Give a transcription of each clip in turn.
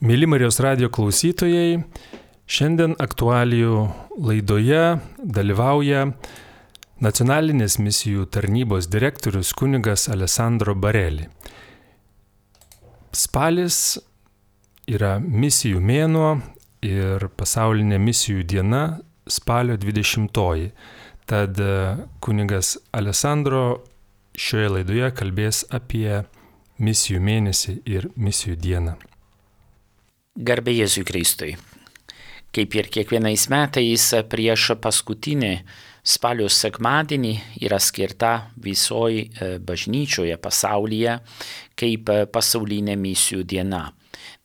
Mėly Marijos radijo klausytojai, šiandien aktualijų laidoje dalyvauja Nacionalinės misijų tarnybos direktorius kunigas Alessandro Bareli. Spalis yra misijų mėnuo ir pasaulinė misijų diena spalio 20-oji. Tad kunigas Alessandro šioje laidoje kalbės apie misijų mėnesį ir misijų dieną. Garbė Jėzui Kristui. Kaip ir kiekvienais metais prieš paskutinį spalio sekmadienį yra skirta visoje bažnyčioje pasaulyje kaip pasaulinė misijų diena.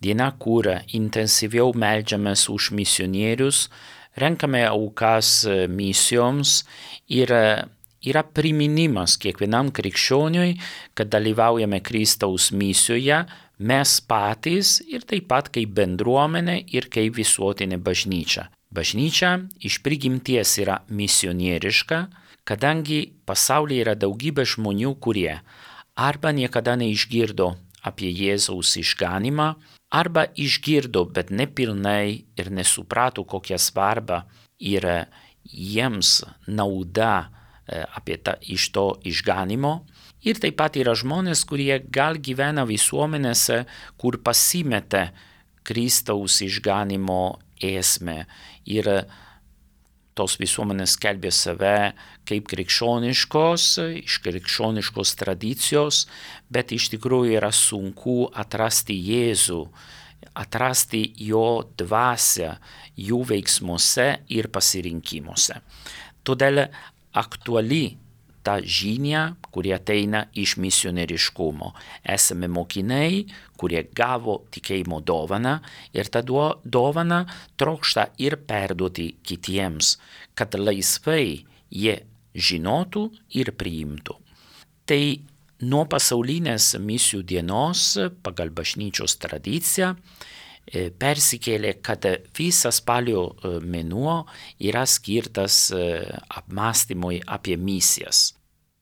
Diena, kur intensyviau meldžiamės už misionierius, renkame aukas misijoms ir yra priminimas kiekvienam krikščioniui, kad dalyvaujame Kristaus misijoje, mes patys ir taip pat kaip bendruomenė ir kaip visuotinė bažnyčia. Bažnyčia iš prigimties yra misionieriška, kadangi pasaulyje yra daugybė žmonių, kurie arba niekada neišgirdo apie Jėzaus išganymą, arba išgirdo, bet nepilnai ir nesuprato, kokią svarbą yra jiems nauda iš to išganymo. Ir taip pat yra žmonės, kurie gal gyvena visuomenėse, kur pasimetė Kristaus išganymo esmę. Ir tos visuomenės skelbia save kaip krikščioniškos, iš krikščioniškos tradicijos, bet iš tikrųjų yra sunku atrasti Jėzų, atrasti jo dvasią jų veiksmuose ir pasirinkimuose. Todėl aktuali ta žinia, kuri ateina iš misionieriškumo. Esame mokiniai, kurie gavo tikėjimo dovaną ir tą dovaną trokšta ir perduoti kitiems, kad laisvai jie žinotų ir priimtų. Tai nuo pasaulinės misijų dienos pagal bažnyčios tradiciją persikėlė, kad visas spalio mėnuo yra skirtas apmąstymui apie misijas.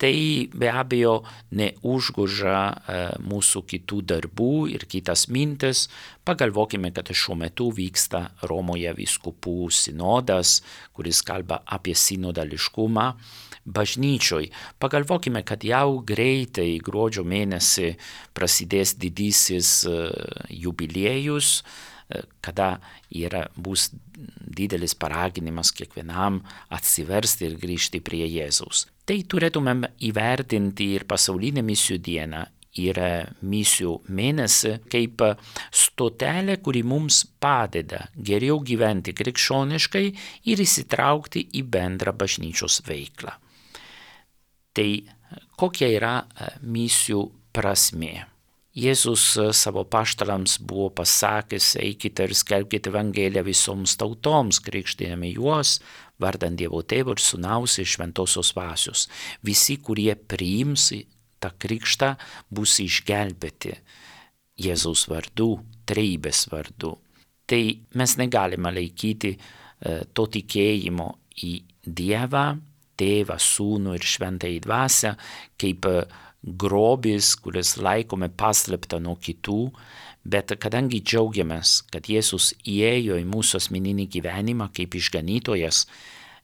Tai be abejo neužgožia mūsų kitų darbų ir kitas mintis. Pagalvokime, kad šiuo metu vyksta Romoje vyskupų sinodas, kuris kalba apie sinodališkumą bažnyčioj. Pagalvokime, kad jau greitai gruodžio mėnesį prasidės didysis jubiliejus, kada bus didelis paraginimas kiekvienam atsiversti ir grįžti prie Jėzaus. Tai turėtumėm įvertinti ir pasaulinę misijų dieną ir misijų mėnesį kaip stotelę, kuri mums padeda geriau gyventi krikščioniškai ir įsitraukti į bendrą bažnyčios veiklą. Tai kokia yra misijų prasmė? Jėzus savo apaštalams buvo pasakęs, eikite ir skelbkite Evangeliją visoms tautoms, krikštydami juos, vardant Dievo Tėvo ir Sūnaus ir Šventosios Dvasios. Visi, kurie priims tą krikštą, bus išgelbėti Jėzaus vardu, trejybės vardu. Tai mes negalime laikyti to tikėjimo į Dievą, Tėvą, Sūnų ir Šventąją Dvasią kaip grobis, kuris laikome paslėptą nuo kitų, bet kadangi džiaugiamės, kad Jėzus įėjo į mūsų asmeninį gyvenimą kaip išganytojas,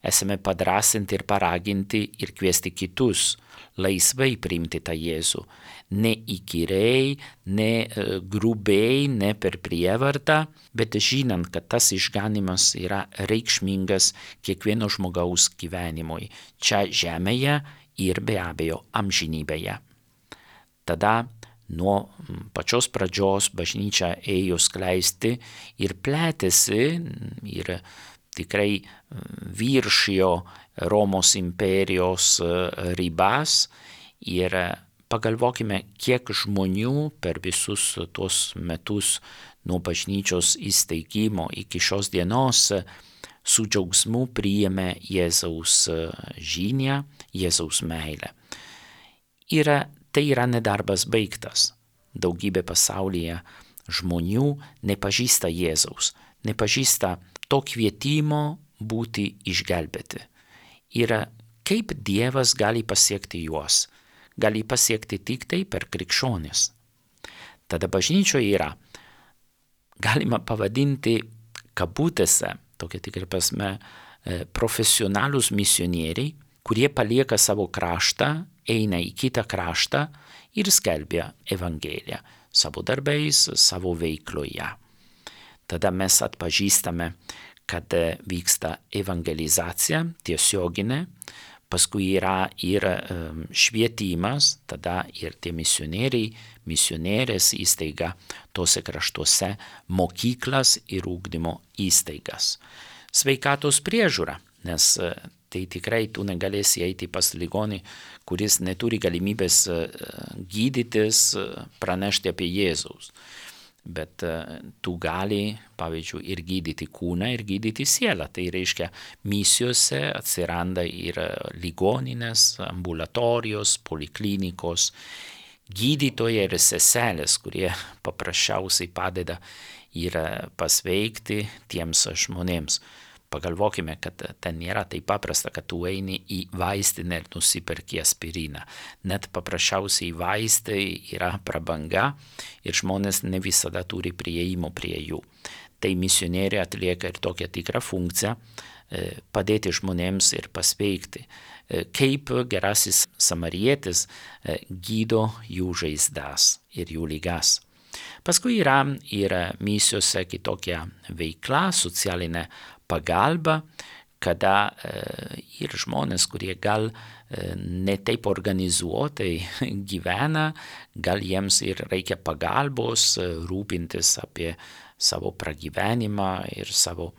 esame padrąsinti ir paraginti ir kviesti kitus laisvai priimti tą Jėzų. Ne įkyriai, ne grubiai, ne per prievartą, bet žinant, kad tas išganymas yra reikšmingas kiekvieno žmogaus gyvenimui, čia žemėje ir be abejo amžinybėje. Tada nuo pačios pradžios bažnyčia ėjo skleisti ir plėtėsi ir tikrai viršijo Romos imperijos ribas ir pagalvokime, kiek žmonių per visus tuos metus nuo bažnyčios įsteigimo iki šios dienos su džiaugsmu priėmė Jėzaus žinią, Jėzaus meilę. Ir tai yra nedarbas baigtas. Daugybė pasaulyje žmonių nepažįsta Jėzaus, nepažįsta to kvietimo būti išgelbėti. Ir kaip Dievas gali pasiekti juos? Gali pasiekti tik tai per krikščionis. Tada bažnyčioje yra galima pavadinti kabutėse, tokia tikrai prasme, profesionalūs misionieriai, kurie palieka savo kraštą, eina į kitą kraštą ir skelbia Evangeliją savo darbais, savo veikloje. Tada mes atpažįstame, kad vyksta evangelizacija tiesioginė, paskui yra ir švietimas, tada ir tie misionieriai, misionierės įstaiga tose kraštuose, mokyklas ir ugdymo įstaigas. Sveikatos priežiūra, nes tai tikrai tu negalėsi eiti pas ligonį, kuris neturi galimybės gydytis, pranešti apie Jėzaus. Bet tu gali, pavyzdžiui, ir gydyti kūną, ir gydyti sielą. Tai reiškia, misijose atsiranda ir ligoninės, ambulatorijos, poliklinikos, gydytojai ir seselės, kurie paprasčiausiai padeda ir pasveikti tiems žmonėms. Pagalvokime, kad ten nėra taip paprasta, kad tu eini į vaistinę ir nusiperki aspiriną. Net paprasčiausiai vaistai yra prabanga ir žmonės ne visada turi prieimo prie jų. Tai misionieriai atlieka ir tokią tikrą funkciją padėti žmonėms ir pasveikti. Kaip gerasis samarietis gydo jų žaizdas ir jų ligas. Paskui yra ir misijose kitokia veikla, socialinė pagalba, kada ir žmonės, kurie gal ne taip organizuotai gyvena, gal jiems ir reikia pagalbos, rūpintis apie savo pragyvenimą ir savo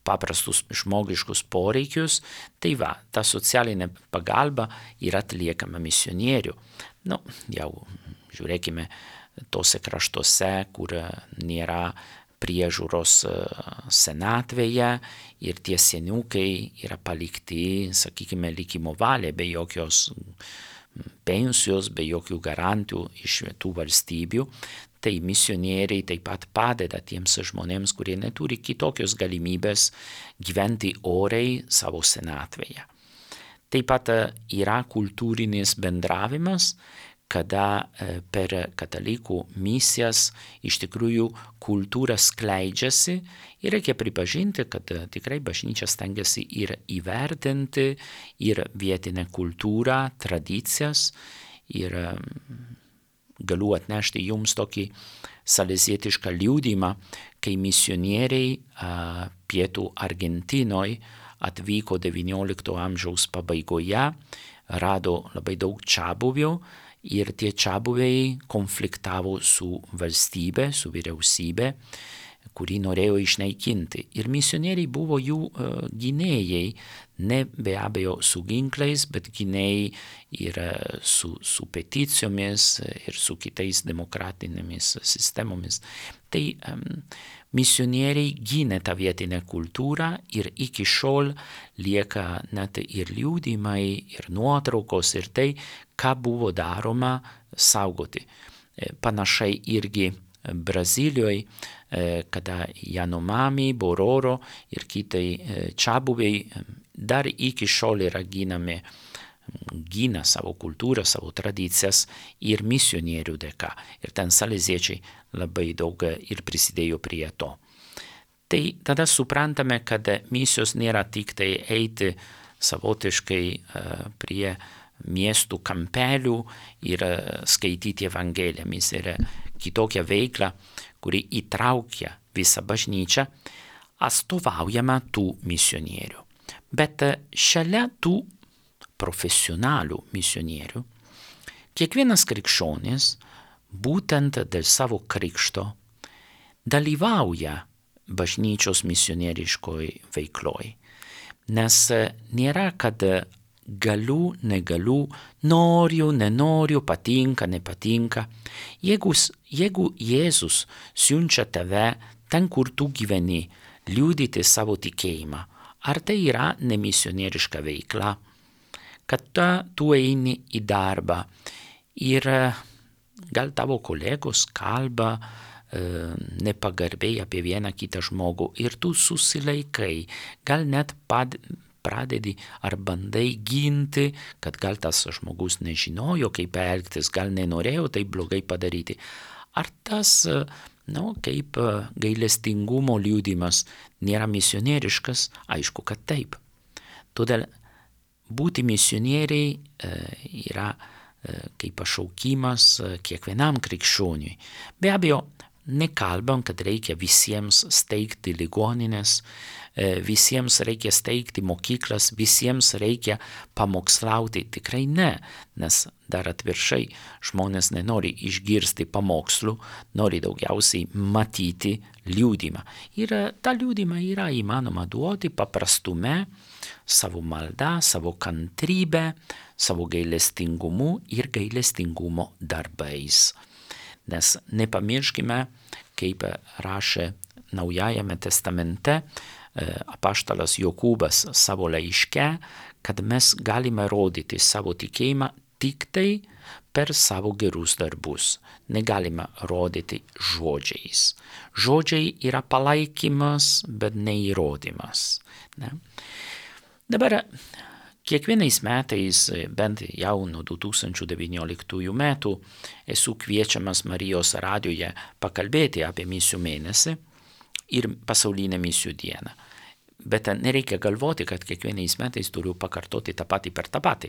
paprastus žmogiškus poreikius. Tai va, ta socialinė pagalba yra atliekama misionierių. Jau žiūrėkime, tose kraštuose, kur nėra priežiūros senatvėje ir tie seniukai yra palikti, sakykime, likimo valiai, be jokios pensijos, be jokių garantijų iš tų valstybių. Tai misionieriai taip pat padeda tiems žmonėms, kurie neturi kitokios galimybės gyventi oriai savo senatvėje. Taip pat yra kultūrinis bendravimas, kada per katalikų misijas iš tikrųjų kultūra skleidžiasi ir reikia pripažinti, kad tikrai bažnyčia stengiasi ir įvertinti ir vietinę kultūrą, tradicijas ir galiu atnešti jums tokį salezietišką liudijimą, kai misionieriai pietų Argentinoje atvyko XIX amžiaus pabaigoje, rado labai daug čiabuvių, ir tie čiabuviai konfliktavo su valstybe, su vyriausybė, kurį norėjo išnaikinti. Ir misionieriai buvo jų gynėjai, ne be abejo su ginklais, bet gynėjai ir su peticijomis ir su kitais demokratinėmis sistemomis. Tai misionieriai gynė tą vietinę kultūrą ir iki šiol lieka net ir liudijimai, ir nuotraukos, ir tai, ką buvo daroma saugoti. Panašiai irgi Brazilijoje, kada Yanomami, Bororo ir kitai čiabuviai dar iki šiol yra gina savo kultūrą, savo tradicijas ir misionierių dėka. Ir ten saleziečiai labai daug ir prisidėjo prie to. Tai tada suprantame, kad misijos nėra tik tai eiti savotiškai prie miestų kampelių ir skaityti Evangeliją. Misija yra kitokia veikla, kuri įtraukia visą bažnyčią, atstovaujama tų misionierių. Bet šalia tų profesionalių misionierių, kiekvienas krikščionis būtent dėl savo krikšto dalyvauja bažnyčios misionieriškoj veikloj. Nes nėra, kad galiu, negaliu, noriu, nenoriu, patinka, nepatinka. Jeigu Jėzus siunčia tave ten, kur tu gyveni, liudyti savo tikėjimą, ar tai yra nemisionieriška veikla? Kad tu eini į darbą ir gal tavo kolegos kalba nepagarbiai apie vieną kitą žmogų ir tu susilaikai, gal net pradedi ar bandai ginti, kad gal tas žmogus nežinojo, kaip elgtis, gal nenorėjo tai blogai padaryti. Ar tas Kaip gailestingumo liudijimas nėra misionieriškas, aišku, kad taip. Todėl būti misionieriai yra kaip pašaukimas kiekvienam krikščioniui. Be abejo, nekalbam, kad reikia visiems steigti ligonines, visiems reikia steigti mokyklas, visiems reikia pamokslauti. Tikrai ne, nes dar atvirkščiai žmonės nenori išgirsti pamokslų, nori daugiausiai matyti liudijimą. Ir tą liudijimą yra įmanoma duoti paprastume, savo malda, savo kantrybę, savo gailestingumu ir gailestingumo darbais. Nes nepamirškime, kaip rašė Naujajame testamente apaštalas Jokūbas savo laiške, kad mes galime rodyti savo tikėjimą tik tai per savo gerus darbus. Negalime rodyti žodžiais. Žodžiai yra palaikymas, bet ne įrodymas. Ne? Dabar kiekvienais metais, bent jau nuo 2019 metų, esu kviečiamas Marijos radijoje pakalbėti apie misijų mėnesį ir pasaulinę misijų dieną. Bet nereikia galvoti, kad kiekvienais metais turiu pakartoti tą patį per tą patį.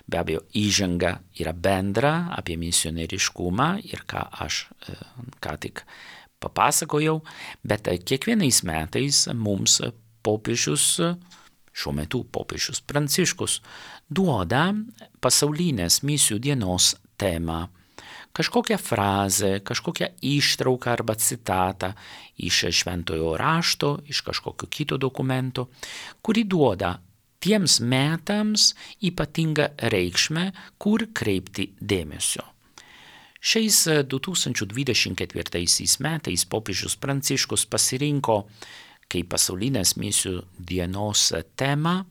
Be abejo, įžanga yra bendra apie misionieriškumą ir ką aš ką tik papasakojau, bet kiekvienais metais mums popiežius, šiuo metu popiežius Pranciškus, duoda pasaulinės misijų dienos temą. Kažkokią frazę, kažkokią ištrauką arba citatą iš šventojo rašto, iš kažkokio kito dokumento, kuri duoda tiems metams ypatingą reikšmę, kur kreipti dėmesio. Šiais 2024 metais popiežius Pranciškus pasirinko kaip pasaulinės misijų dienos temą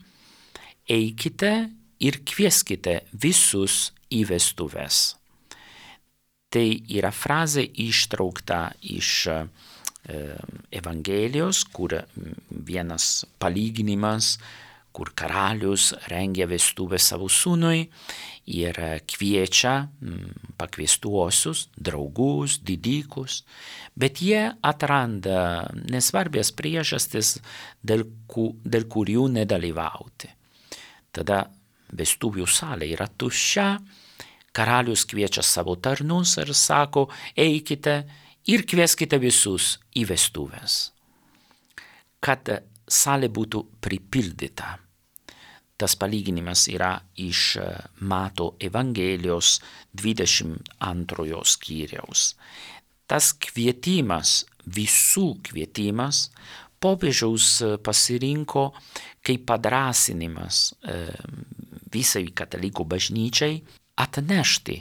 eikite ir kvieskite visus į vestuves. Tai yra frazė ištraukta iš Evangelijos, kur vienas palyginimas, kur karalius rengia vestuvę savo sūnui ir kviečia pakviestuosius, draugus, didikus, bet jie atranda nesvarbias priežastis, dėl kurių nedalyvauti. Tada vestuvių salė yra tuščia, karalius kviečia savo tarnus ir sako, eikite ir kvieskite visus į vestuves. Kad salė būtų pripildyta. Tas palyginimas yra iš Mato Evangelijos 22 skyriaus. Tas kvietimas, visų kvietimas, popiežiaus pasirinko kaip padrąsinimas visai katalikų bažnyčiai atnešti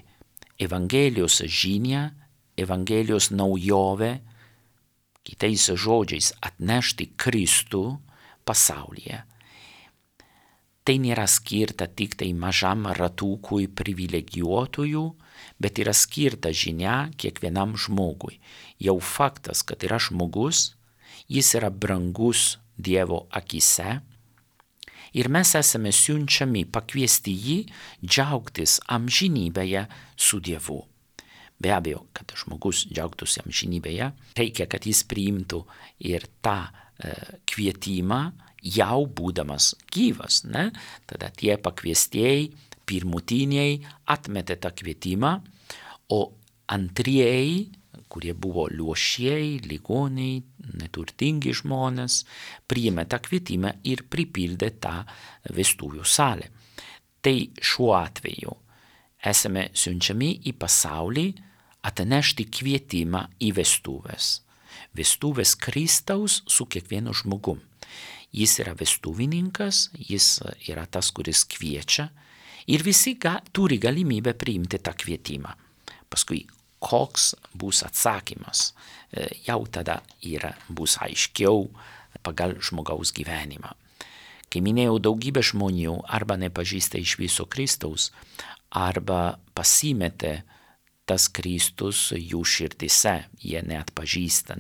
Evangelijos žinią, Evangelijos naujovę, kitais žodžiais atnešti Kristų pasaulyje. Tai nėra skirta tik tai mažam ratukui privilegijuotųjų, bet yra skirta žinia kiekvienam žmogui. Jau faktas, kad yra žmogus, jis yra brangus Dievo akise ir mes esame siunčiami pakviesti jį džiaugtis amžinybėje su Dievu. Be abejo, kad žmogus džiaugtųsi amžinybėje, reikia, kad jis priimtų ir tą kvietimą jau būdamas gyvas. Ne? Tada tie pakviestieji, pirmutiniai atmetė tą kvietimą, o antrieji, kurie buvo luošieji, ligoniai, neturtingi žmonės, priėmė tą kvietimą ir pripildė tą vestuvių salę. Tai šiuo atveju esame siunčiami į pasaulį atnešti kvietimą į vestuvės. Vestuvės Kristaus su kiekvienu žmogum. Jis yra vestuvininkas, jis yra tas, kuris kviečia ir visi turi galimybę priimti tą kvietimą. Paskui, koks bus atsakymas, jau tada bus aiškiau pagal žmogaus gyvenimą. Kai minėjau, daugybė žmonių arba nepažįsta iš viso Kristaus, arba pasimetė tas Kristus jų širdise, jie neatpažįsta,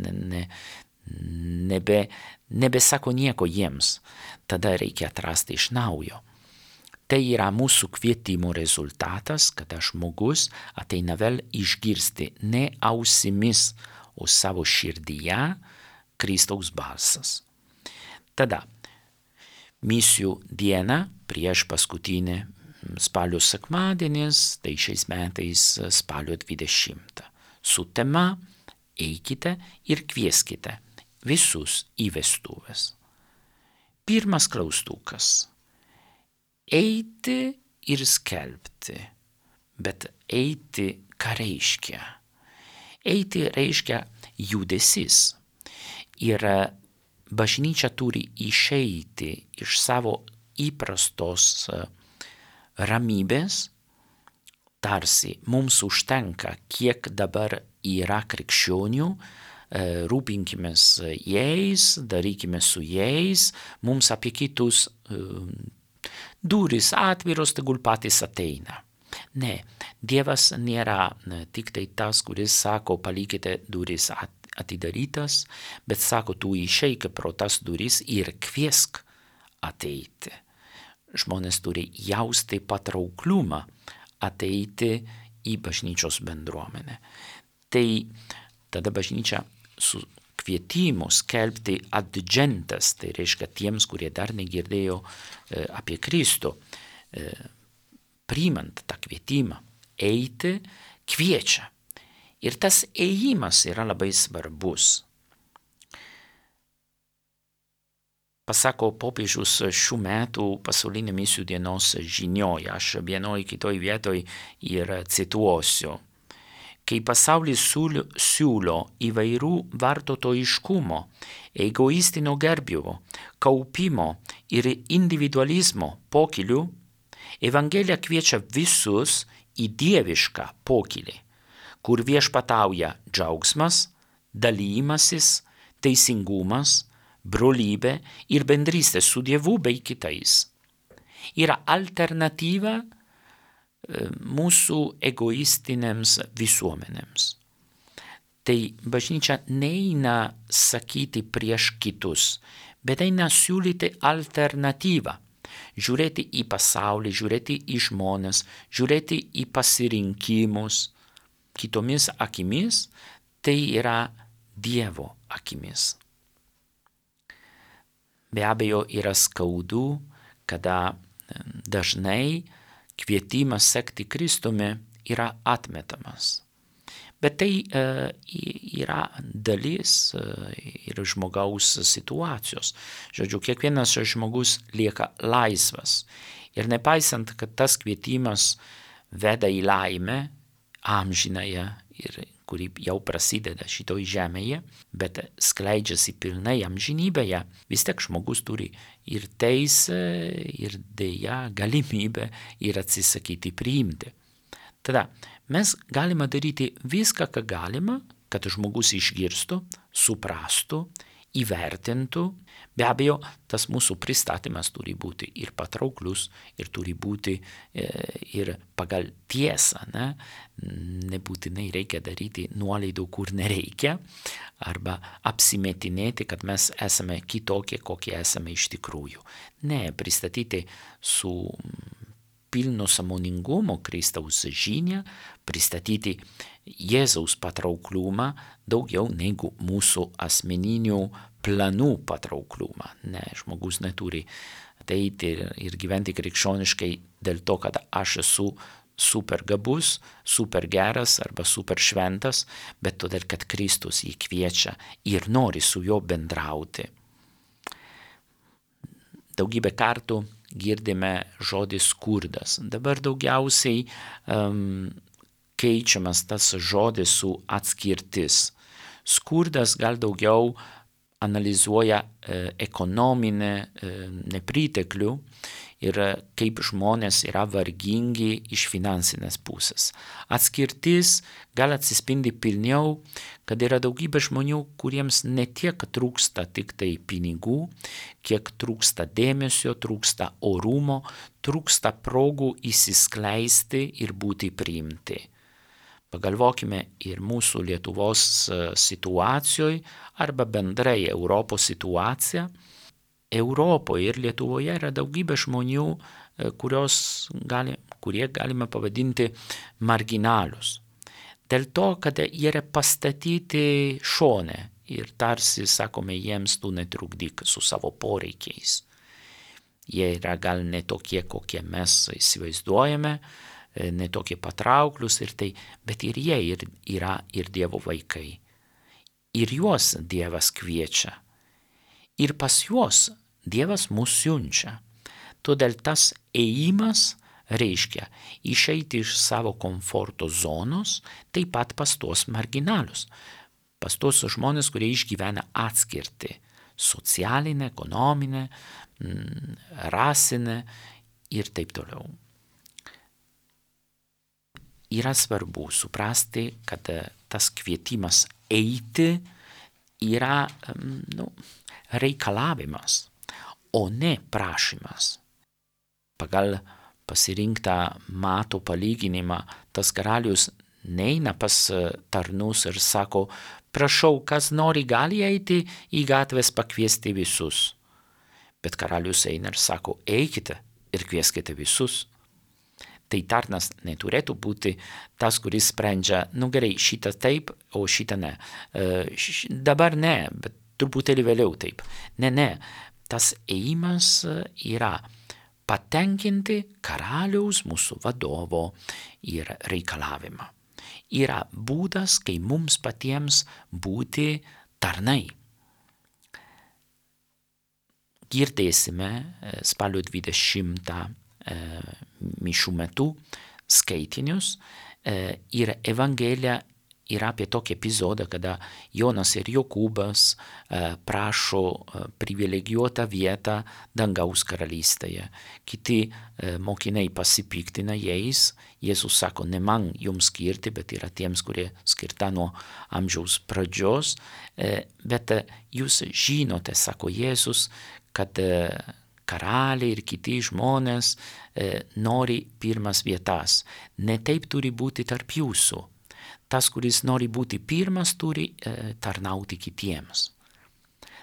nebesako nieko jiems, tada reikia atrasti iš naujo. Tai yra mūsų kvietimo rezultatas, kada žmogus ateina vėl išgirsti ne ausimis, o savo širdyje Kristaus balsas. Tada misijų diena prieš paskutinį spalio sekmadienis, tai šiais metais spalio 20. Su tema eikite ir kvieskite visus į vestuves. Pirmas klaustukas. Eiti ir skelbti. Bet eiti ką reiškia? Eiti reiškia judesis. Ir bažnyčia turi išeiti iš savo įprastos ramybės, tarsi mums užtenka, kiek dabar yra krikščionių, rūpinkimės jais, darykime su jais, mums apie kitus durys atviros, tegul patys ateina. Ne, Dievas nėra tik tai tas, kuris sako, palikite duris atidarytas, bet sako, tu išeik pro tas duris ir kviesk ateiti. Žmonės turi jausti patrauklumą ateiti į bažnyčios bendruomenę. Tai tada bažnyčia su kvietimu skelbti adgentas, tai reiškia tiems, kurie dar negirdėjo apie Kristų, priimant tą kvietimą, eiti, kviečia. Ir tas ėjimas yra labai svarbus. Pasako popiežius šių metų pasaulinė misijų dienos žinioje, aš vienoj kitoj vietoj ir cituosiu. Kai pasaulis siūlo įvairių vartotojiškumo, egoistinio gerbimo, kaupimo ir individualizmo pokylių, Evangelija kviečia visus į dievišką pokylį, kur viešpatauja džiaugsmas, dalymasis, teisingumas, brolybė ir bendrystė su Dievu bei kitais. Yra alternatyva mūsų egoistinėms visuomenėms. Tai bažnyčia neina sakyti prieš kitus, bet eina siūlyti alternatyvą. Žiūrėti į pasaulį, žiūrėti į žmones, žiūrėti į pasirinkimus kitomis akimis, tai yra Dievo akimis. Be abejo, yra skaudu, kada dažnai kvietimas sekti Kristumi yra atmetamas. Bet tai yra dalis ir žmogaus situacijos. Žodžiu, kiekvienas žmogus lieka laisvas. Ir nepaisant, kad tas kvietimas veda į laimę amžinąją, ir kuri jau prasideda šitoj žemėje, bet skleidžiasi pilnai amžinybėje, vis tiek žmogus turi ir teisę, ir deja galimybę ir atsisakyti priimti. Tada mes galime daryti viską, ką galima, kad žmogus išgirstų, suprastų, įvertintų. Be abejo, tas mūsų pristatymas turi būti ir patrauklus, ir turi būti ir pagal tiesą. Nebūtinai reikia daryti nuolaidų, kur nereikia, arba apsimetinėti, kad mes esame kitokie, kokie esame iš tikrųjų. Ne, pristatyti su pilno sąmoningumo Kristaus žinią, pristatyti Jėzaus patrauklumą daugiau negu mūsų asmeninių planų patrauklumą. Ne, žmogus neturi ateiti ir gyventi krikščioniškai dėl to, kad aš esu super gabus, super geras arba super šventas, bet todėl, kad Kristus jį kviečia ir nori su juo bendrauti. Daugybę kartų girdime žodį skurdas. Dabar daugiausiai keičiamas tas žodis su atskirtis. Skurdas gal daugiau analizuoja ekonominę nepriteklių ir kaip žmonės yra vargingi iš finansinės pusės. Atskirtis gal atsispindi pilniau, kad yra daugybė žmonių, kuriems ne tiek trūksta tik tai pinigų, kiek trūksta dėmesio, trūksta orumo, trūksta progų įsiskleisti ir būti priimti. Pagalvokime ir mūsų Lietuvos situacijoje arba bendrai Europos situaciją. Europoje ir Lietuvoje yra daugybė žmonių, kurie galime pavadinti marginalius. dėl to, kad jie yra pastatyti šone ir tarsi, sakome, jiems tu netrukdyk su savo poreikiais. Jie yra gal ne tokie, kokie mes įsivaizduojame, ne tokie patrauklus ir tai, bet ir jie yra ir Dievo vaikai. Ir juos Dievas kviečia. Ir pas juos Dievas mus siunčia. Todėl tas ėjimas reiškia išeiti iš savo komforto zonos, taip pat pas tuos marginalius, pas tuos žmonės, kurie išgyvena atskirtį socialinę, ekonominę, rasinę ir taip toliau. Yra svarbu suprasti, kad tas kvietimas eiti yra reikalavimas, o ne prašymas. Pagal pasirinktą Mato palyginimą, tas karalius neina pas tarnus ir sako, prašau, kas nori gali eiti į gatves pakviesti visus. Bet karalius eina ir sako, eikite ir kvieskite visus. Tai tarnas neturėtų būti tas, kuris sprendžia, gerai, šitą taip, o šitą ne. Dabar ne, bet truputėlį vėliau taip. Ne, tas ėjimas yra patenkinti karaliaus, mūsų vadovo ir reikalavimą. Yra būdas, kai mums patiems būti tarnai. Girdėsime spalio 20 mišių metu skaitinius ir Evangelija yra apie tokį epizodą, kada Jonas ir Jokūbas prašo privilegijuotą vietą dangaus karalystėje. Kiti mokiniai pasipiktina jais. Jėzus sako, ne man jums skirti, bet yra tiems, kurie skirta nuo amžiaus pradžios. Bet jūs žinote, sako Jėzus, kad karaliai ir kiti žmonės nori pirmas vietas. Ne taip turi būti tarp jūsų. Tas, kuris nori būti pirmas, turi tarnauti kitiems.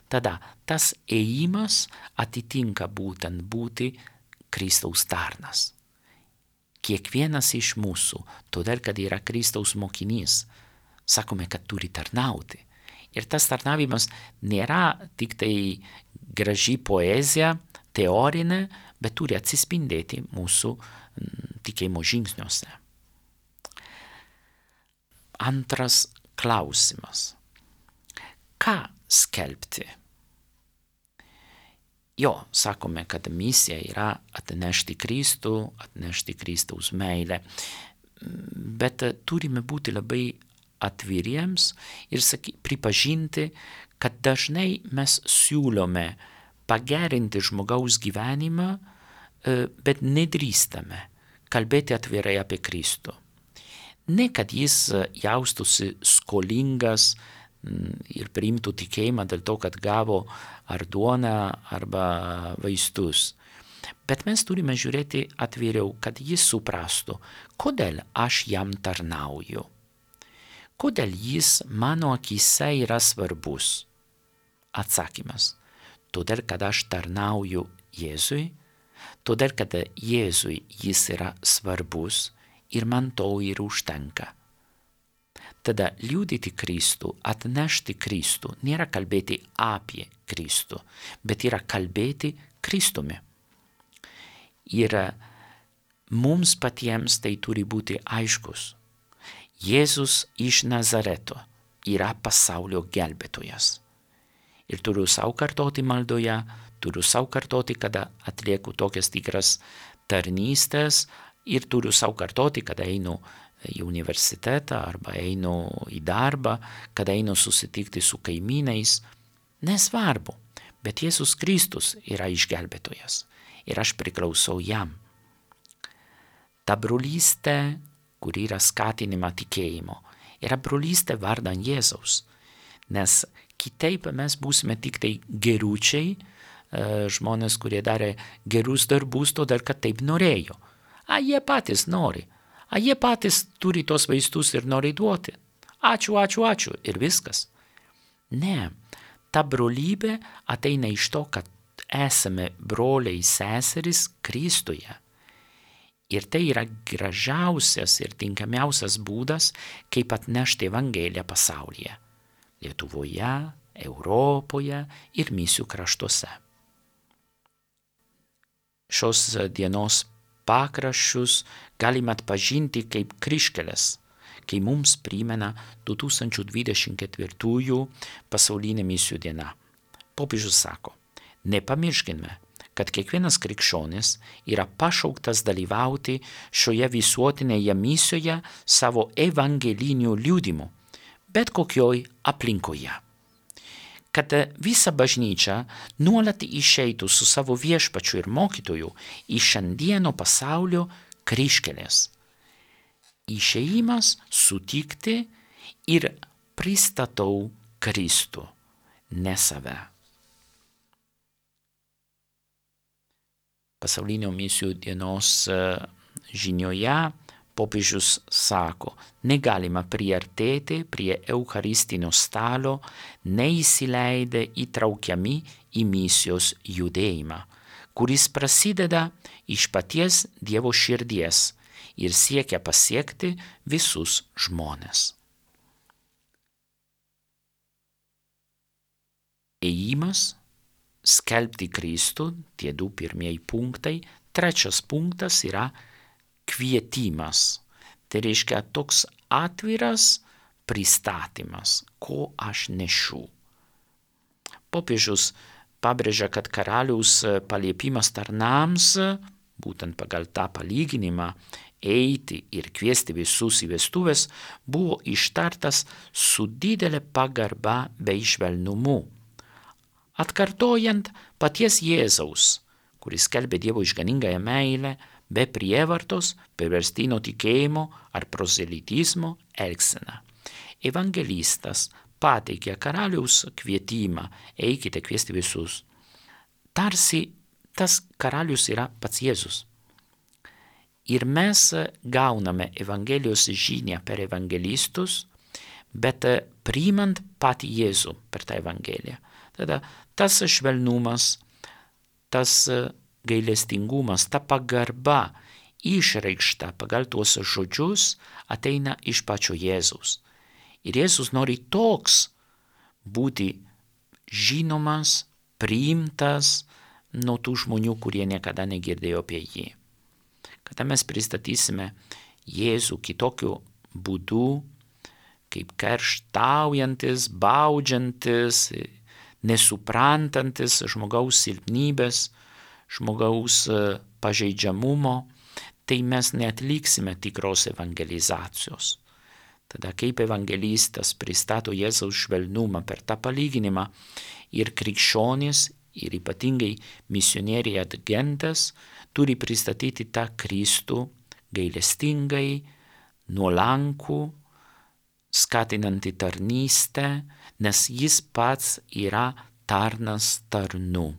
Tada tas ėjimas atitinka būtent būti Kristaus tarnas. Kiekvienas iš mūsų, todėl kad yra Kristaus mokinys, sakome, kad turi tarnauti. Ir tas tarnavimas nėra tik tai graži poezija, teorinė, bet turi atsispindėti mūsų tikėjimo žingsniuose. Antras klausimas. Ką skelbti? Jo, sakome, kad misija yra atnešti Kristų, atnešti Kristaus meilę, bet turime būti labai atviriems ir pripažinti, kad dažnai mes siūlome pagerinti žmogaus gyvenimą, bet nedrįstame kalbėti atvirai apie Kristų. Ne, kad jis jaustųsi skolingas ir priimtų tikėjimą dėl to, kad gavo ar duoną arba vaistus. Bet mes turime žiūrėti atviriau, kad jis suprastų, kodėl aš jam tarnauju. Kodėl jis mano akyse yra svarbus? Atsakymas. Todėl, kad aš tarnauju Jėzui, todėl, kad Jėzui jis yra svarbus ir man to ir užtenka. Tada liudyti Kristų, atnešti Kristų, nėra kalbėti apie Kristų, bet yra kalbėti Kristumi. Ir mums patiems tai turi būti aiškus. Jėzus iš Nazareto yra pasaulio gelbėtojas. Ir turiu savo kartoti maldoje, turiu savo kartoti, kada atlieku tokias tikras tarnystės, ir turiu savo kartoti, kada einu į universitetą arba einu į darbą, kada einu susitikti su kaimynais. Nesvarbu, bet Jėzus Kristus yra išgelbėtojas ir aš priklausau jam. Ta brolystė, kur yra skatinima tikėjimo, yra brolystė vardan Jėzaus, nes kitaip mes būsime tik tai geručiai, žmonės, kurie darė gerus darbus, todėl kad taip norėjo. Jie patys nori. Jie patys turi tos vaistus ir nori duoti. Ačiū ir viskas. Ne, ta brolybė ateina iš to, kad esame broliai seserys Kristuje. Ir tai yra gražiausias ir tinkamiausias būdas, kaip atnešti Evangeliją pasaulyje. Lietuvoje, Europoje ir misijų kraštuose. Šios dienos pakraščius galime atpažinti kaip kryžkeles, kai mums primena 2024 pasaulinė misijų diena. Popiežius sako, nepamirškime, kad kiekvienas krikščionis yra pašauktas dalyvauti šioje visuotinėje misijoje savo evangeliniu liudimu, bet kokioj aplinkoje. Kad visa bažnyčia nuolat išeitų su savo viešpačiu ir mokytoju į šiandieno pasaulio kryžkeles. Išėjimas sutikti ir pristatau Kristų, ne save. Pasaulinio misijų dienos žinioje popiežius sako, negalima priartėti prie eucharistinio stalo, neįsileidę įtraukiami į misijos judėjimą, kuris prasideda iš paties Dievo širdies ir siekia pasiekti visus žmones. Ėjimas, skelbti Kristų, tie 2 pirmieji punktai, 3 punktas yra kvietimas. Tai reiškia toks atviras pristatymas, ko aš nešu. Popiežius pabrėžia, kad karaliaus paliepimas tarnams, būtent pagal tą palyginimą, eiti ir kviesti visus į vestuves, buvo ištartas su didelė pagarba bei švelnumu, atkartojant paties Jėzaus, kuris skelbė Dievo išganingąją meilę, be prievartos, perverstinio tikėjimo ar prozelitizmo elgseną. Evangelistas pateikė karaliaus kvietimą, eikite kviesti visus. Tarsi tas karalius yra pats Jėzus. Ir mes gauname Evangelijos žinią per evangelistus, bet priimant patį Jėzų per tą Evangeliją. Tada tas švelnumas, tas gailestingumas, ta pagarba išreikšta pagal tuos žodžius ateina iš pačio Jėzaus. Ir Jėzus nori toks būti žinomas, priimtas nuo tų žmonių, kurie niekada negirdėjo apie jį. Kada mes pristatysime Jėzų kitokiu būdu, kaip kerštaujantis, baudžiantis, nesuprantantis žmogaus silpnybės, žmogaus pažeidžiamumo, tai mes neatliksime tikros evangelizacijos. Tada kaip evangelistas pristato Jėzaus švelnumą per tą palyginimą ir krikščionys, ir ypatingai misionieriai atgentas, turi pristatyti tą Kristų gailestingai, nuolankų, skatinantį tarnystę, nes jis pats yra tarnas tarnų.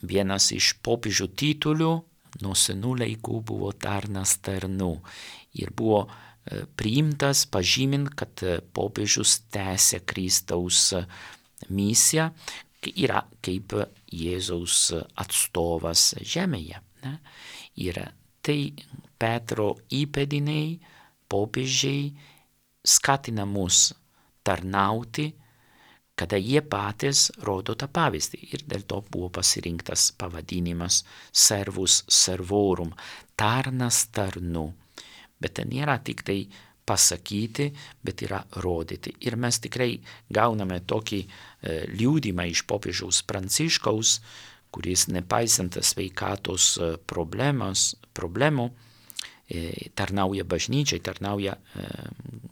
Vienas iš popiežių titulių nuo senų laikų buvo tarnas tarnų ir buvo priimtas pažymint, kad popiežius tęsia Kristaus misiją, yra kaip Jėzaus atstovas žemėje. Ne? Ir tai Petro įpėdiniai, popiežiai skatina mus tarnauti, kada jie patys rodo tą pavyzdį. Ir dėl to buvo pasirinktas pavadinimas servus servorum, tarnas tarnų. Bet ten nėra tik tai pasakyti, bet yra rodyti. Ir mes tikrai gauname tokį liudymą iš popiežiaus Pranciškaus, kuris nepaisant sveikatos problemų, tarnauja bažnyčiai, tarnauja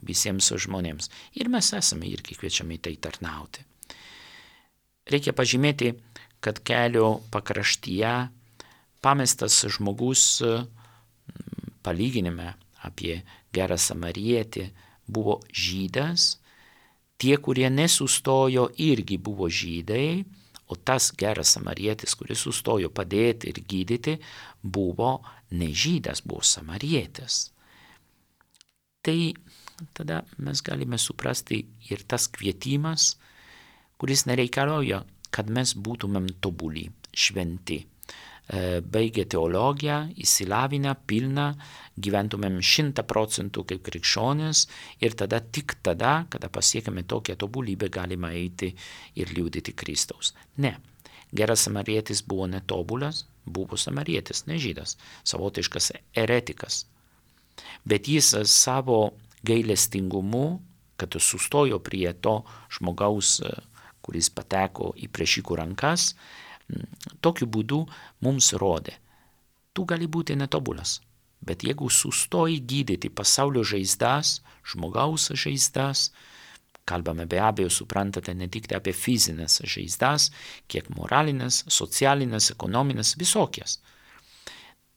visiems žmonėms. Ir mes esame irgi kviečiami tai tarnauti. Reikia pažymėti, kad kelio pakraštyje pamestas žmogus palyginime apie gerą samarietį buvo žydas, tie, kurie nesustojo, irgi buvo žydai, o tas geras samarietis, kuris sustojo padėti ir gydyti, buvo ne žydas, buvo samarietis. Tai tada mes galime suprasti ir tas kvietimas, kuris nereikalauja, kad mes būtumėm tobuli, šventi. baigę teologiją, įsilavinę, pilną, gyventumėm 100% kaip krikščionis ir tada, tik tada, kada pasiekime tokią tobulybę, galima eiti ir liudyti Kristaus. Ne. Geras samarietis buvo netobulas, buvo samarietis, ne žydas, savotiškas eretikas. Bet jis savo gailestingumu, kad sustojo prie to žmogaus, kuris pateko į priešikų rankas, tokiu būdu mums rodė, tu gali būti netobulas, bet jeigu sustoji gydyti pasaulio žaizdas, žmogaus žaizdas, kalbame be abejo, suprantate, ne tik apie fizinės žaizdas, kiek moralinės, socialinės, ekonominės, visokias.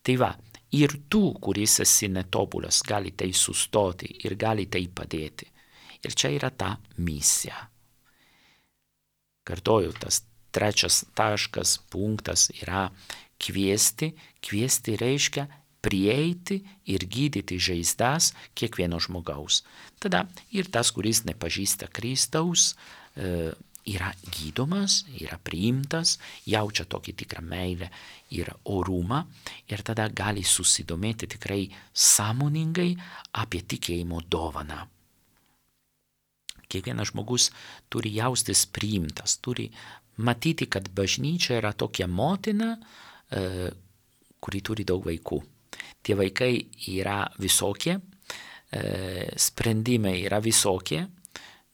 Tai va, ir tu, kuris esi netobulas, gali tai sustoti ir gali tai padėti. Ir čia yra ta misija. Kartoju, tas trečias taškas, punktas yra kviesti. Kviesti reiškia prieiti ir gydyti žaizdas kiekvieno žmogaus. Tada ir tas, kuris nepažįsta Kristaus, yra gydomas, yra priimtas, jaučia tokį tikrą meilę ir orumą ir tada gali susidomėti tikrai sąmoningai apie tikėjimo dovaną. Kiekvienas žmogus turi jaustis priimtas, turi matyti, kad bažnyčia yra tokia motina, kuri turi daug vaikų. Tie vaikai yra visokie, sprendimai yra visokie,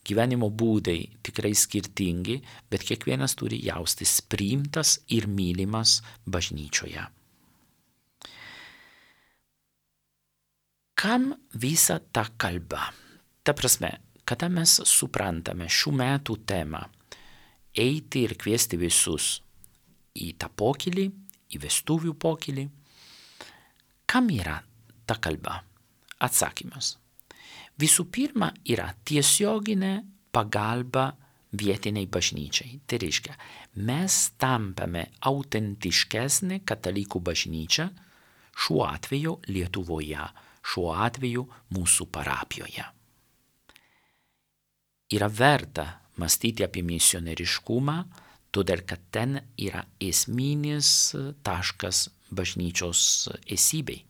gyvenimo būdai tikrai skirtingi, bet kiekvienas turi jaustis priimtas ir mylimas bažnyčioje. Kam visa ta kalba? Ta prasme, kada mes suprantame šių metų temą, eiti ir kviesti visus į tą pokylį, į vestuvių pokylį, kam yra ta kalba? Atsakymas. Visų pirma, yra tiesioginė pagalba vietiniai bažnyčiai. Tai reiškia, mes tampame autentiškesnė katalikų bažnyčia, šiuo atveju Lietuvoje, šiuo atveju mūsų parapijoje. Yra verta mąstyti apie misionieriškumą, todėl kad ten yra esminis taškas bažnyčios esybei.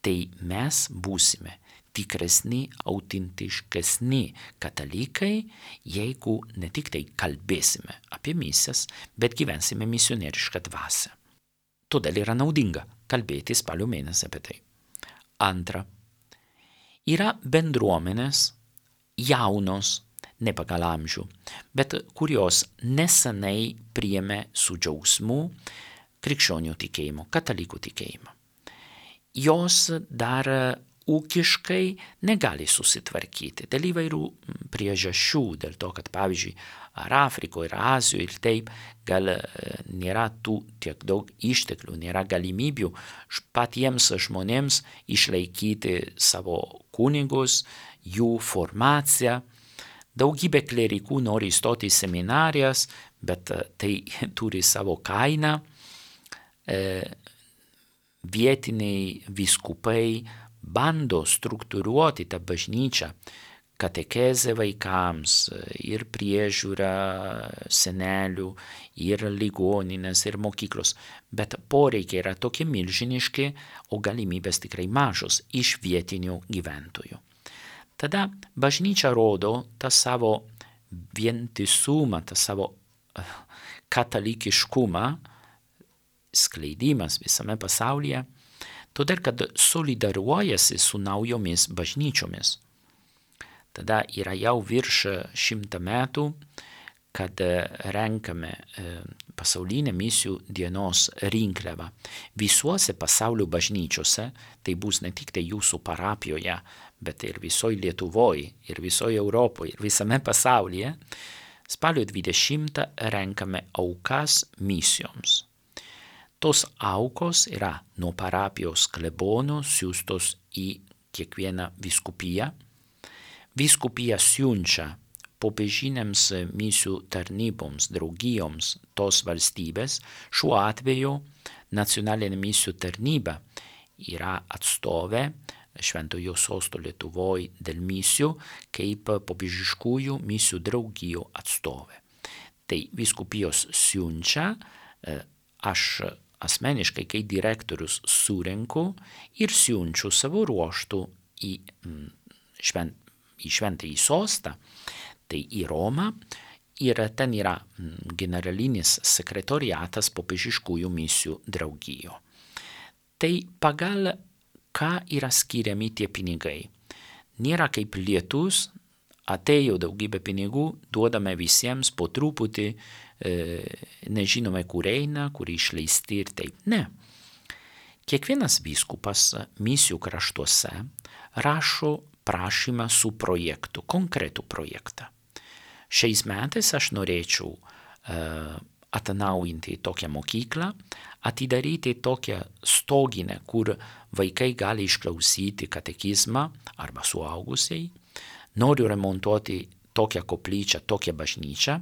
Tai mes būsime tikresni, autentiškesni katalikai, jeigu ne tik tai kalbėsime apie misijas, bet gyvensime misionierišką dvasią. Todėl yra naudinga kalbėti spalio mėnesį apie tai. Antra, yra bendruomenės jaunos, ne pagal amžių, bet kurios nesenai priėmė su džiaugsmu krikščionių tikėjimo, katalikų tikėjimą. Jos dar ūkiškai negali susitvarkyti dėl įvairių priežasčių, dėl to, kad pavyzdžiui, ar Afrikoje, ar Azijoje ir taip, gal nėra tų tiek daug išteklių, nėra galimybių patiems žmonėms išlaikyti savo kunigus, jų formaciją. Daugybė klerikų nori įstoti į seminarijas, bet tai turi savo kainą. Vietiniai vyskupai bando struktūruoti tą bažnyčią, katekezę vaikams ir priežiūrą senelių, ir ligoninės, ir mokyklos. Bet poreikiai yra tokie milžiniški, o galimybės tikrai mažos iš vietinių gyventojų. Tada bažnyčia rodo tą savo vientisumą, tą savo katalikiškumą, skleidimas visame pasaulyje, todėl kad solidariuojasi su naujomis bažnyčiomis. Tada yra jau virš 100 metų, kad renkame pasaulinę misijų dienos rinkliavą. Visuose pasaulio bažnyčiose, tai bus ne tik tai jūsų parapijoje, bet ir visoje Lietuvoje, ir visoje Europoje, ir visame pasaulyje, spalio 20 renkame aukas misijoms. Tos aukos yra nuo parapijos klebono siųstos į kiekvieną vyskupiją. Vyskupija siunčia popiežinėms misijų tarnyboms, draugijoms tos valstybės. Šiuo atveju nacionalinė misijų tarnyba yra atstovė Šventojo sosto Lietuvoje dėl misijų kaip popiežiškųjų misijų draugijų atstovė. Tai vyskupijos siunčia, aš asmeniškai, kai direktorius surenku ir siunčiu savo ruoštų į šventąjį sostą, tai į Romą, ir ten yra generalinis sekretoriatas popiežiškųjų misijų draugijo. Tai pagal ką yra skiriami tie pinigai. Nėra kaip lietus, atėjo daugybė pinigų, duodame visiems po truputį, nežinome kur eina, kur išleisti ir taip. Ne. Kiekvienas vyskupas misijų kraštuose rašo prašymą su projektu, konkretų projektą. Šiais metais aš norėčiau atnaujinti tokią mokyklą, atidaryti tokią stoginę, kur vaikai gali išklausyti katekizmą arba suaugusiai, noriu remontuoti tokią koplyčią, tokią bažnyčią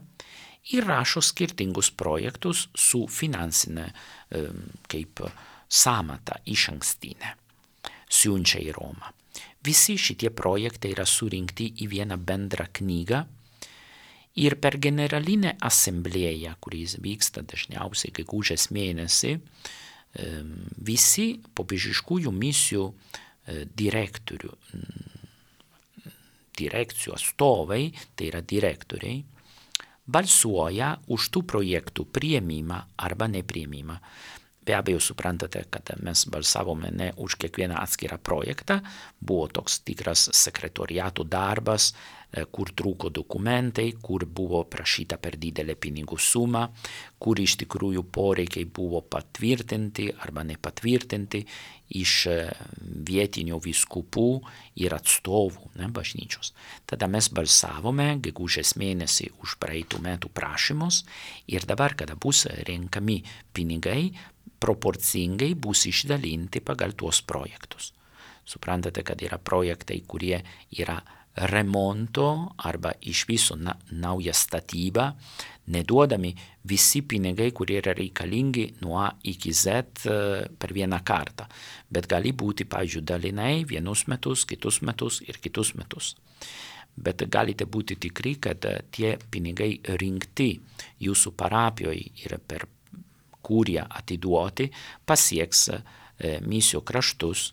ir rašo skirtingus projektus su finansinė kaip sąmata išankstinė. Siunčia į Romą. Visi šitie projektai yra surinkti į vieną bendrą knygą ir per generalinę asamblėją, kuris vyksta dažniausiai gegužės mėnesį, visi popiežiškųjų misijų direkcijų atstovai, tai yra direktoriai, balsuoja už tų projektų priėmimą arba nepriėmimą. Be abejo, suprantate, kad mes balsavome ne už kiekvieną atskirą projektą, buvo toks tikras sekretoriato darbas, kur trūko dokumentai, kur buvo prašyta per didelė pinigų suma, kur iš tikrųjų poreikiai buvo patvirtinti arba nepatvirtinti iš vietinių vyskupų ir atstovų, bažnyčios. Tada mes balsavome gegužės mėnesį už praeitų metų prašymus ir dabar, kada bus renkami pinigai, proporcingai bus išdalinti pagal tuos projektus. Suprantate, kad yra projektai, kurie yra remonto arba iš viso nauja statyba, neduodami visi pinigai, kurie yra reikalingi nuo A iki Z per vieną kartą, bet gali būti, pavyzdžiui, dalinai vienus metus, kitus metus ir kitus metus. Bet galite būti tikri, kad tie pinigai rinkti jūsų parapijoje ir per kurie atiduoti, pasieks misijų kraštus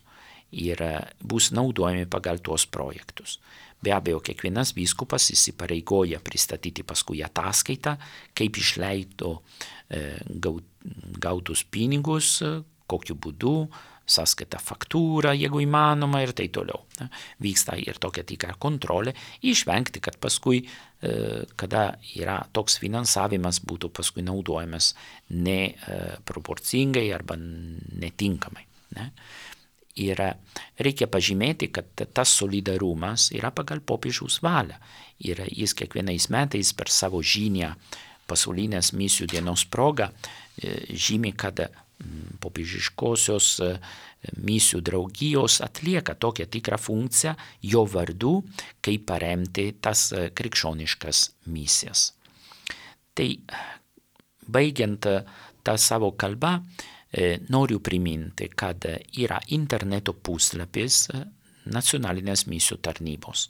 ir bus naudojami pagal tuos projektus. Be abejo, kiekvienas vyskupas įsipareigoja pristatyti paskui ataskaitą, kaip išleido gautus pinigus, kokiu būdu, sąskaita faktūra, jeigu įmanoma ir tai toliau. Vyksta ir tokia tikra kontrolė, išvengti, kad paskui, kada yra toks finansavimas, būtų paskui naudojamas neproporcingai arba netinkamai. Ir reikia pažymėti, kad tas solidarumas yra pagal popiežiaus valią. Ir jis kiekvienais metais per savo žinią pasaulinės misijų dienos progą žymi, kad popiežiškosios misijų draugijos atlieka tokią tikrą funkciją jo vardu, kaip paremti tas krikščioniškas misijas. Tai baigiant tą savo kalbą, noriu priminti, kad yra interneto puslapis nacionalinės misijų tarnybos.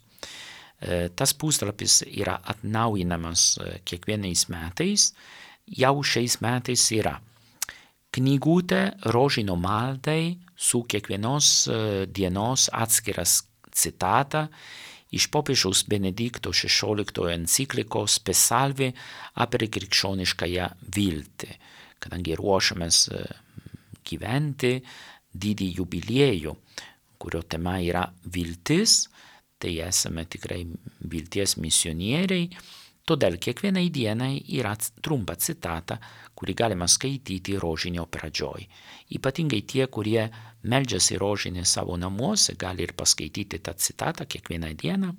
Tas puslapis yra atnaujinamas kiekvienais metais, jau šiais metais yra knygutė rožinio maldai su kiekvienos dienos atskiras citata iš popiežiaus Benedikto XVI enciklikos Spes Salvi apie krikščioniškąją viltį, kadangi ruošiamės gyventi didį jubiliejų, kurio tema yra viltis, tai esame tikrai vilties misionieriai. Todėl kiekvienai dienai yra trumpa citata, kurį galima skaityti rožinio pradžioj. Ypatingai tie, kurie meldžiasi rožinį savo namuose, gali ir paskaityti tą citatą kiekvieną dieną.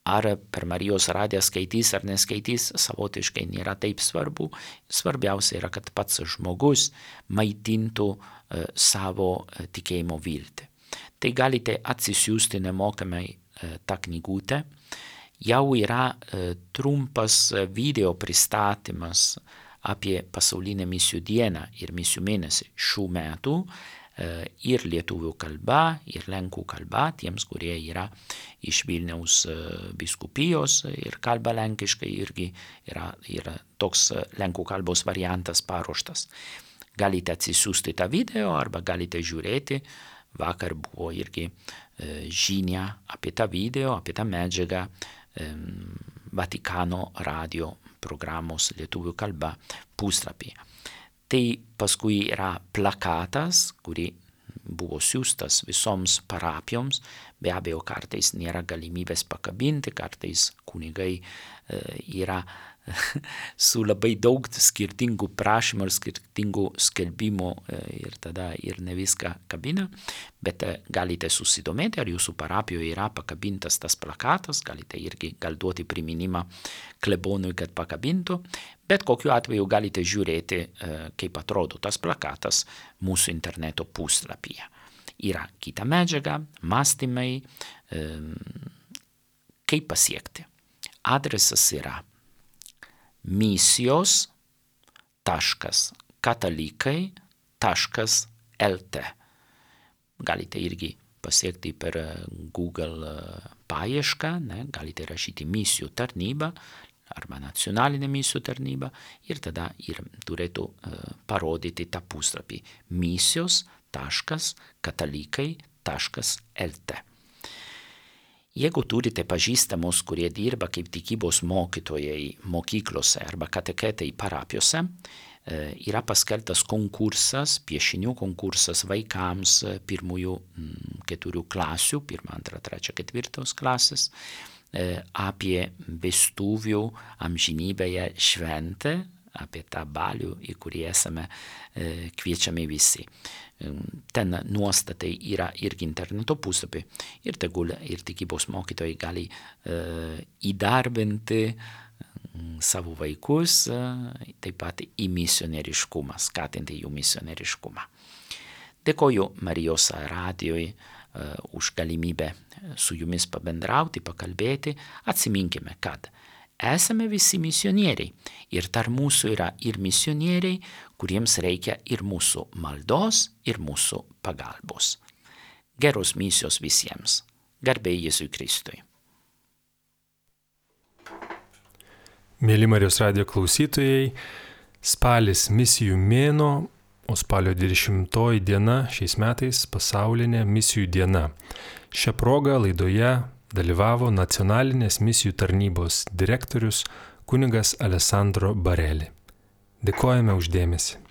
Ar per Marijos radiją skaitys ar neskaitys, savotiškai nėra taip svarbu. Svarbiausia yra, kad pats žmogus maitintų savo tikėjimo viltį. Tai galite atsisiųsti nemokamai tą knygutę. Jau yra trumpas video pristatymas apie pasaulinę misijų dieną ir misijų mėnesį šių metų ir lietuvių kalba, ir lenkų kalba, tiems, kurie yra iš Vilniaus vyskupijos ir kalba lenkiškai, irgi yra toks lenkų kalbos variantas paruoštas. galite atsisiųsti tą video arba galite žiūrėti. Vakar buvo irgi žinia apie tą video, apie tą medžiagą Vatikano radio programos lietuvių kalba puslapyje. Tai paskui yra plakatas, kurį buvo siūstas visoms parapijoms. Be abejo, kartais nėra galimybės pakabinti, kartais kunigai yra su labai daug skirtingų prašymų ir skirtingų skelbimų ir tada ir ne viską kabina, bet galite susidomėti, ar jūsų parapijoje yra pakabintas tas plakatas, galite irgi gal duoti priminimą klebonui, kad pakabintų, bet kokiu atveju galite žiūrėti, kaip atrodo tas plakatas mūsų interneto puslapyje. Yra kita medžiaga, mąstymai, kaip pasiekti. Adresas yra misijos.katalikai.lt. Galite irgi pasiekti per Google paiešką, galite rašyti misijų tarnybą arba nacionalinė misijų tarnyba ir tada ir turėtų parodyti tą puslapį misijos.katalikai.lt. Jeigu turite pažįstamus, kurie dirba kaip tikybos mokytojai mokyklose arba kateketai parapijose, yra paskelbtas konkursas, piešinių konkursas vaikams 1-4 klasių, 1, 2, 3, 4 klasės, apie vestuvių amžinybėje šventę, apie tą balių, į kurį esame kviečiami visi. Ten nuostatai yra irgi interneto puslapį ir tegul ir tikybos mokytojai gali įdarbinti savo vaikus, taip pat į misionieriškumą, skatinti jų misionieriškumą. Dėkoju Marijos radijui už galimybę su jumis pabendrauti, pakalbėti. Atsiminkime, kad esame visi misionieriai ir tarp mūsų yra ir misionieriai, kuriems reikia ir mūsų maldos, ir mūsų pagalbos. Geros misijos visiems. Garbė Jėzui Kristui. Mėly Marijos radijo klausytojai, spalis misijų mėnuo, o spalio 20 diena šiais metais pasaulinė misijų diena. Šią progą laidoje dalyvavo nacionalinės misijų tarnybos direktorius kunigas Alessandro Bareli. Dėkojame už dėmesį.